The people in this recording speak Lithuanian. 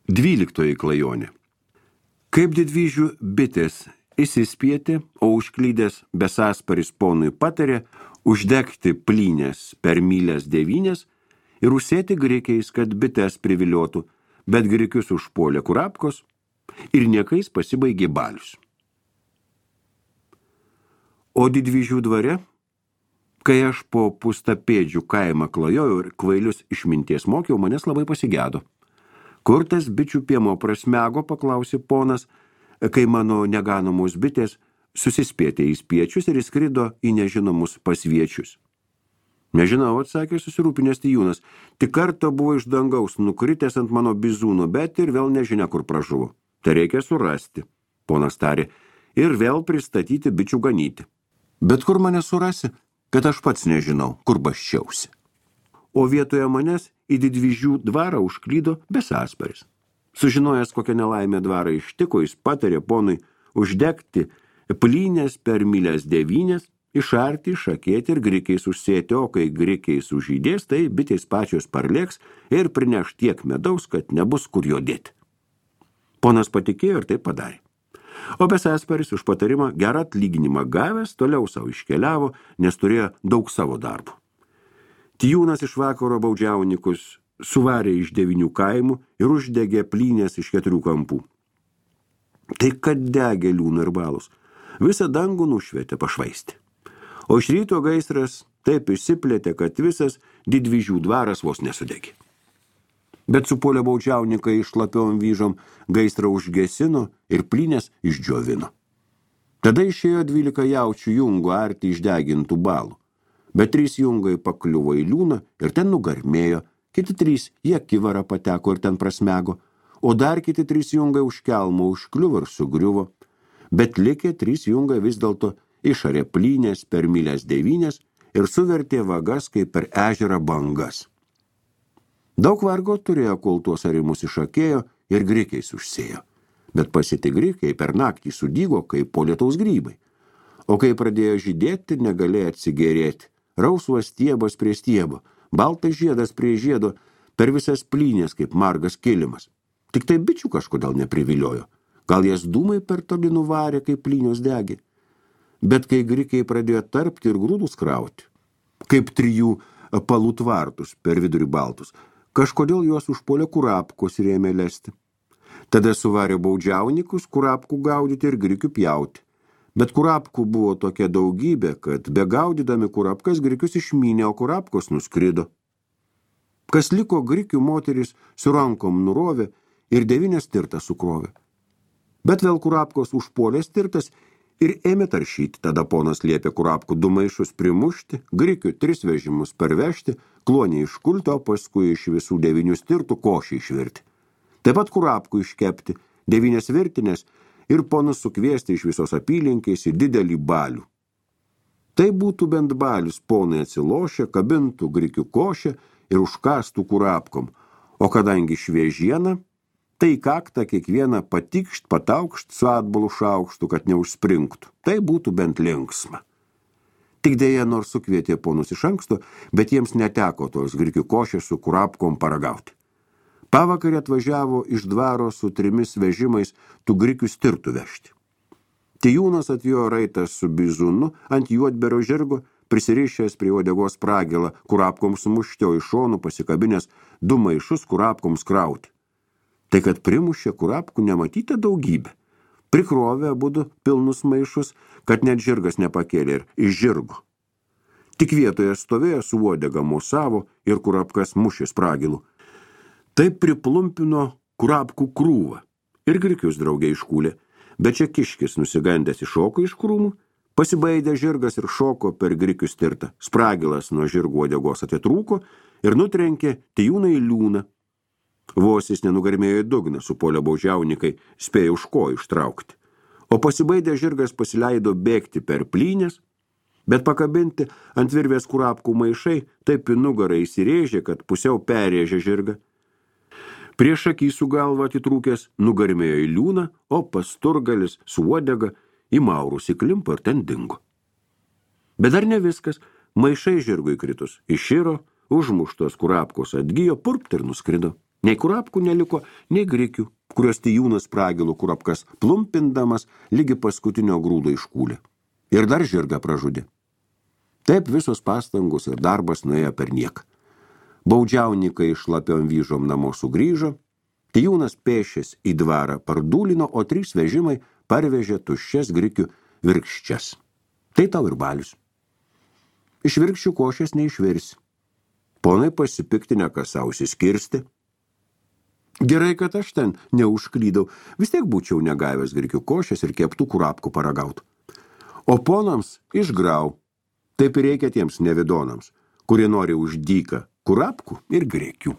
12 klajonė. Kaip didvyžių bitės įsispietė, o užklydęs besasparis ponui patarė uždegti plynės per mylės 9 ir užsėti grikiais, kad bites priviliotų, bet grikius užpuolė kurapkos ir niekais pasibaigė balius. O didvyžių dvare, kai aš po Pustapėdžių kaimą klajojau ir kvailius išminties mokiau, manęs labai pasigedo. Kur tas bičių piemo prasmego, paklausė ponas, kai mano neganomos bitės susispėtė į spiečius ir įskrido į nežinomus pasviečius. Nežinau, atsakė susirūpinęs Tijūnas, tik kartą buvo iš dangaus nukritęs ant mano bizūno, bet ir vėl nežinia, kur pražuvo. Tai reikia surasti, ponas tarė, ir vėl pristatyti bičių ganyti. Bet kur mane surasi, kad aš pats nežinau, kur baščiausi. O vietoje manęs į didvyžių dvarą užklydo besasparis. Sužinojęs, kokią nelaimę dvarą ištiko, jis patarė ponui uždegti plynės per mylės 9, išarti, išakėti ir grikiais užsėti, o kai grikiais užžydės, tai bitės pačios parlėks ir prineš tiek medaus, kad nebus kur jo dėti. Ponas patikėjo ir tai padarė. O besasparis už patarimą gerą atlyginimą gavęs toliau savo iškeliavo, nes turėjo daug savo darbų. Tijūnas iš vakaro baudžiaunikus suvarė iš 9 kaimų ir uždegė plynės iš 4 kampų. Tai kad degė liūnų ir balus, visą dangų nušvietė pašvaistė. O iš ryto gaisras taip išsiplėtė, kad visas didvyžių dvaras vos nesudegė. Bet supuolė baudžiauninkai šlapiom vyžom gaisrą užgesino ir plynės išdžiovino. Tada išėjo 12 jaučių jungų arti išdegintų balų. Bet 3 jungai pakliuvo į liūną ir ten nugarmėjo, kiti 3 į akivarą pateko ir ten prasmego, o dar kiti 3 jungai už kelmo užkliuvo ir sugriuvo. Bet likę 3 jungai vis dėlto išarė plynės per mylės 9 ir suvertė vagas kaip per ežerą bangas. Daug vargo turėjo, kol tuos arimus išakėjo ir grikiais užsėjo. Bet pasiti grikiai per naktį sudygo kaip po lietaus grybai. O kai pradėjo žydėti, negalėjo atsigėrėti. Rausvas stiebas prie stiebo, baltas žiedas prie žiedo, per visas plynės kaip margas kilimas. Tik tai bičių kažkodėl nepriviliojo. Gal jas dūmai per toli nuvarė, kaip plynios degė. Bet kai grikiai pradėjo tarpti ir grūdus krauti, kaip 3 palų tvartus per vidurį baltus, kažkodėl juos užpuolė kurapkos ir ėmė lesti. Tada suvarė baudžiaunikus kurapkų gaudyti ir grikių pjauti. Bet kurapkų buvo tokia daugybė, kad begaudydami kurapkas grikius išmynė, o kurapkos nuskrido. Kas liko, grikių moteris su rankom nurovė ir 9 stirtas sukrovė. Bet vėl kurapkos užpuolė stirtas ir ėmė taršyti. Tada ponas liepė kurapkų 2 maišus primušti, grikių 3 vežimus parvežti, klonį iškulti, o paskui iš visų 9 stirtų košį išvirti. Taip pat kurapkų iškepti 9 virtinės ir ponus sukviesti iš visos apylinkės į didelį balių. Tai būtų bent balius, ponai atsilošę, kabintų grikių košę ir užkastų kurapkom, o kadangi šviežiena, tai kaktą kiekvieną patikšt, pataukšt su atbalu šaukštu, kad neužspringtų. Tai būtų bent linksma. Tik dėja, nors sukvietė ponus iš anksto, bet jiems neteko tos grikių košės su kurapkom paragauti. Pavakarį atvažiavo iš dvaro su 3 vežimais tų grikių stirtų vežti. Tijūnas atvijo raitas su bizūnu ant juodberio žirgo, prisirišęs prie uodegos pragilą, kurapkoms mušti, o iš šonų pasikabinęs 2 maišus kurapkoms krauti. Tai kad primušė kurapkų nematyta daugybė. Prikrovė abudu pilnus maišus, kad net žirgas nepakėlė ir iš žirgo. Tik vietoje stovėjo su uodega mosavo ir kurapkas mušė spragilų. Taip priplumpino kurapkų krūvą ir grikius draugė iškūlė, bet čia kiškis nusigandęs iššoko iš krūmų, pasibaidė žirgas ir šoko per grikių stirtą. Spragilas nuo žirgo uodegos atitrūko ir nutrenkė Tijūną į liūną. Vos jis nenugarmėjo į dugną, supuolė baudžiaunikai, spėjo už kojų ištraukti. O pasibaidė žirgas pasileido bėgti per plynės, bet pakabinti ant virvės kurapkų maišai taip į nugarą įsirėžė, kad pusiau perrėžė žirgą. Prieš akį su galva atitrūkęs nugarmėjo į liūną, o pasturgalis su uodega į maurus įklimpo ir ten dingo. Bet dar ne viskas, maišai žirgui kritus iširo, užmuštos kurapkos atgijo, purpt ir nuskrido. Nei kurapkų neliko, nei grikių, kurios Tijūnas pragilų kurapkas plumpindamas lygi paskutinio grūdo iškūlė. Ir dar žirgą pražudė. Taip visos pastangos ir darbas nuėjo per nieką. Baudžiauninkai šlapiom vyžom namo sugrįžo, Tijūnas pėšęs į dvarą pardūlino, o 3 vežimai parvežė tuščias grikių virkščias. Tai tau ir balius. Iš virkščių košės neišvirsi. Ponai pasipiktinę kasausi skirsti. Gerai, kad aš ten neužklydau, vis tiek būčiau negavęs grikių košės ir keptų kurapkų paragautų. O ponams išgrau. Taip ir reikia tiems nevidonams, kurie nori už dyką kurapkų ir grikių.